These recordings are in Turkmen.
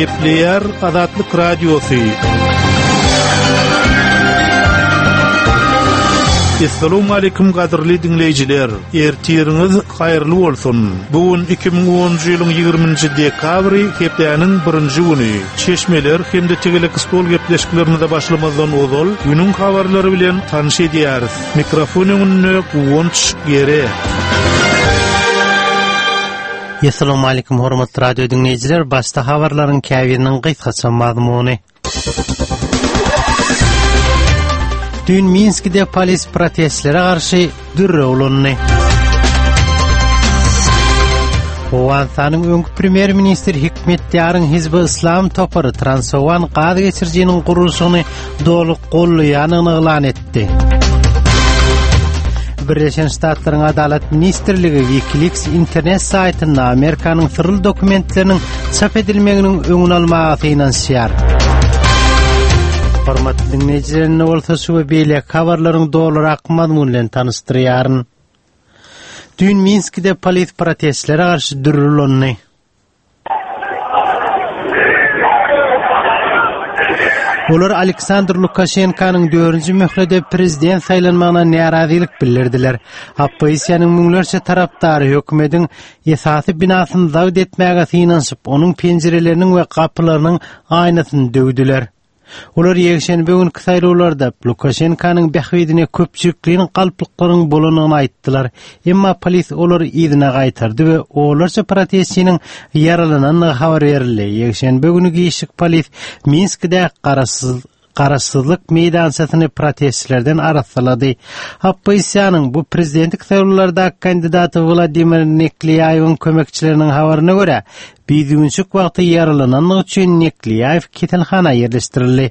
Gepleýär Azatlyk Radiosy. Assalamualaikum gadyrly diňleýjiler. Ertiriňiz haýyrly bolsun. Bu gün 2010-njy ýylyň 20-nji dekabry, hepdäniň birinji güni. Çeşmeler hem-de tegelek stol gepleşiklerimize başlamazdan ozal, günüň habarlary bilen tanyş edýäris. Mikrofon öňünde Guwanç Gere. Essalamu aleýkum hormatly radio diňleýjiler, başda habarlaryň käbiriniň gysgaça mazmuny. Düýn Minskide polis protestlere garşy dürre ulandy. Owganystanyň öňki premýer-ministri Hikmetýaryň Hizbi Yslam topary Transowgan gaz geçirijiniň gurluşygyny doly goldaýandygyny yglan etdi. Birleşen Ştatlaryň Adalat ministrligi WikiLeaks internet saýtynda Amerikanyň syrly dokumentleriniň çap edilmeginiň öňüni almaga synanyşýar. Hormatly diňleýjiler, indi bolsa şu we beýleki habarlaryň dolurak mazmuny bilen tanyşdyrýaryn. Düýn Minskide polis protestlere garşy dürli ulandy. Olar Aleksandr Lukaşenkanyň dördünji möhlede prezident saýlanmagyna närazylyk bildirdiler. Oppozisiýanyň müňlerçe tarapdary hökümetiň esasy binasyny zabt etmäge synanyşyp, onuň penjireleriniň we gapylarynyň aýnasyny döwdüler. Olar ýekşenbe günki saýlawlarda Lukaşenkanyň bähbidine köpçülikleýin galplyklaryň bolandygyny aýtdylar. Emma polis olary yzyna gaýtardy we onlarça protestçiniň ýaralanandygy habar berildi. Ýekşenbe güni giçlik polis Minskidäki garaşsyz Garaşsyzlyk meýdançasyny protestçilerden arassalady. Oppozisiýanyň bu prezidentlik saýlawlardaky kandidaty Wladimir Neklýaýewiň kömekçileriniň habaryna görä, Bidüwünçik wagty ýaralananlygy üçin Neklýaýew keselhana ýerleşdirildi.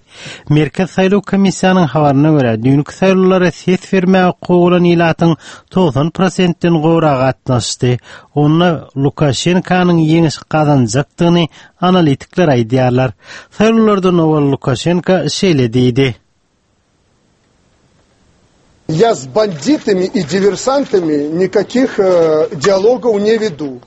Merkezi saýlaw komissiýanyň habaryna görä, düýnki saýlawlara ses bermäge hukugy bolan ilatyň 90 prosentden gowragy gatnaşdy. Onda Lukaşenkanyň ýeňiş gazanjakdygyny analitikler aýdýarlar. Saýlawlardan owal Lukaşenko şeýle diýdi. Ýa s banditami i diversantami nikakih dialogov ne vedu.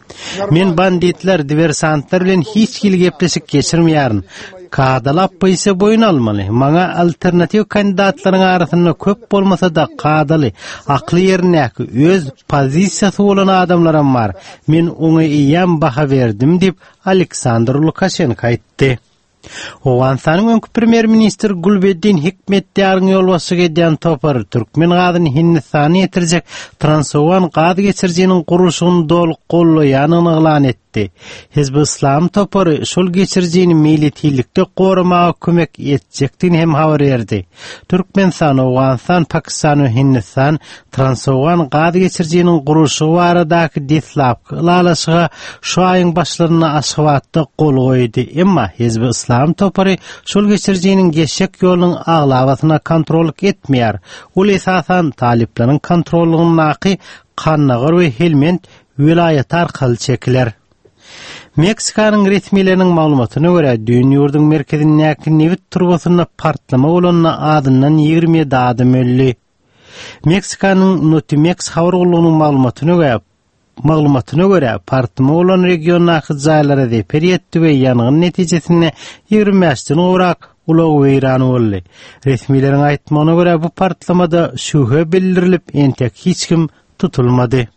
Men banditler, diversantlar bilen hiç hili gepleşik geçirmeýärin. Kadaly oppozisiýa boýun almaly. Maňa alternatiw kandidatlaryň arasynda köp bolmasa-da kadaly, akly ýerindäki, öz pozisiýasy bolan adamlaram bar. Men oňa eýýäm baha berdim diýip, Aleksandr Lukaşenko aýtdy. Owganystanyň öňki premýer-ministri Gulbeddin Hikmetýaryň ýolbaşçylyk edýän topary türkmen gazyny Hindistana ýetirjek Transowgan gaz geçirijiniň gurluşygyny doly goldaýandygyny yglan etdi. Hizbi Yslam topary şol geçirijini meýletinlikde goramaga kömek etjekdigini hem habar berdi. Türkmenistan, Owganystan, Pakistan we Hindistan Transowgan gaz geçirijiniň gurluşygy baradaky deslapky ylalaşyga şu aýyň başlarynda Aşgabatda gol goýdy. Emma Hizbi Yslam topary şol geçirijiniň geçjek ýolunyň aglabasyna kontrollyk etmeýär. Ol esasan talyplaryň kontrollygyndaky Kandagar we Helmend welaýaty arkaly çekiler. Meksikanyň resmileriniň maglumatyna görä, düýn ýurduň merkezindäki nebit turbasynda partlama bolanda azyndan 27 adam öldi. Meksikanyň Notimex habar gullugynyň maglumatyna görä, maglumatyna görä, partlama bolan regiondaky jaýlara zeper ýetdi we ýangyn netijesinde 25-den gowrak ulag weýran boldy. Resmileriň aýtmagyna görä, bu partlamada şübhe bildirilip, entek hiç kim tutulmady.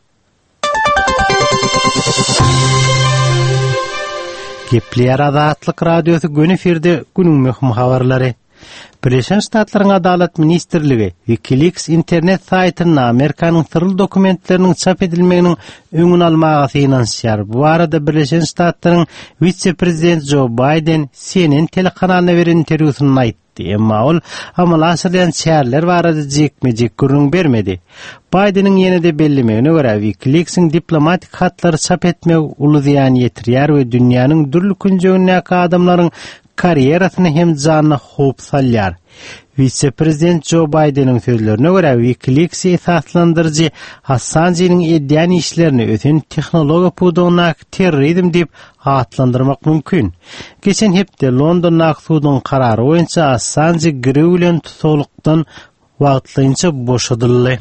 Gepleýär Azatlyk Radiosy göni efirde günüň möhüm habarlary. Birleşen Ştatlaryň Adalat ministrligi WikiLeaks internet saýtynda Amerikanyň syrly dokumentleriniň çap edilmeginiň öňüni almaga synanyşýar. Bu barada Birleşen Ştatlaryň wise-prezidenti Jo Baýden CNN telekanalyna beren interwýusynda aýtdy. aýtdy. Emma ol amala aşyrylýan çäreler barada jikme-jik gürrüň bermedi. Baýdeniň ýene-de bellemegine görä, WikiLeaks-iň diplomatik hatlary çap etmegi uly zyýan ýetirýär we dünýäniň dürli künjegindäki adamlaryň karýerasyna hem janyna howp salýar. Wise-prezident Jo Baýdeniň sözlerine görä, WikiLeaks-i esaslandyryjy Assanjynyň edýän işlerini ösen tehnologiýa pudagyndaky terrorizm diýip atlandyrmak mümkin. Geçen hepde Londondaky suduň karary boýunça Assanji girew bilen tussaglykdan wagtlaýynça boşadyldy.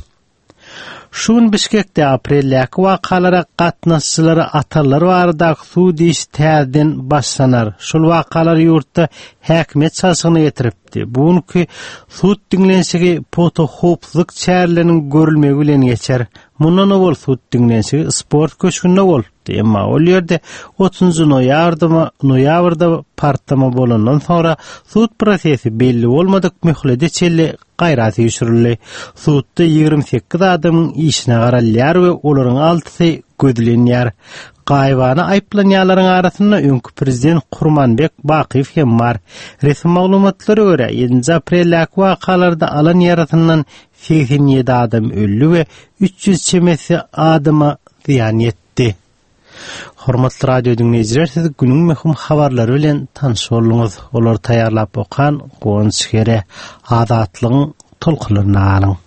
Şu gün Bişkekde apreldäki wakalara gatnaşyjylary atanlar baradaky sud işi täzeden başlanar. Şol wakalar ýurtda häkimiýet çalşygyna getiripdi. Bu günki sud diňlenişigi pugta howpsuzlyk çäreleriniň görülmegi bilen geçer. Mundan owal sud diňlenişigi sport köşgünde bolupdy, emma ol ýerde otuzynjy noýabrda noýabrda partlama bolandan soňra sud prosesi belli bolmadyk möhlete çenli gaýra süýşürildi. Sudda 28 adamyň işine garalýar we olaryň altysy gözlenýär. Gaýybana aýyplanýanlaryň arasynda öňki prezident Kurmanbek Bakyýew hem bar. Resmi maglumatlara görä, ýedinji apreldäki wakalarda alan ýarasyndan 87 adam öldi we 300 çemesi adama zyýan ýetdi. Hormatly radio diňleýjiler, siz günüň möhüm habarlary bilen tanyş bolduňyz. Olary taýýarlap okan Guwanç Gere. Azatlygyň tolkunlarynda galyň.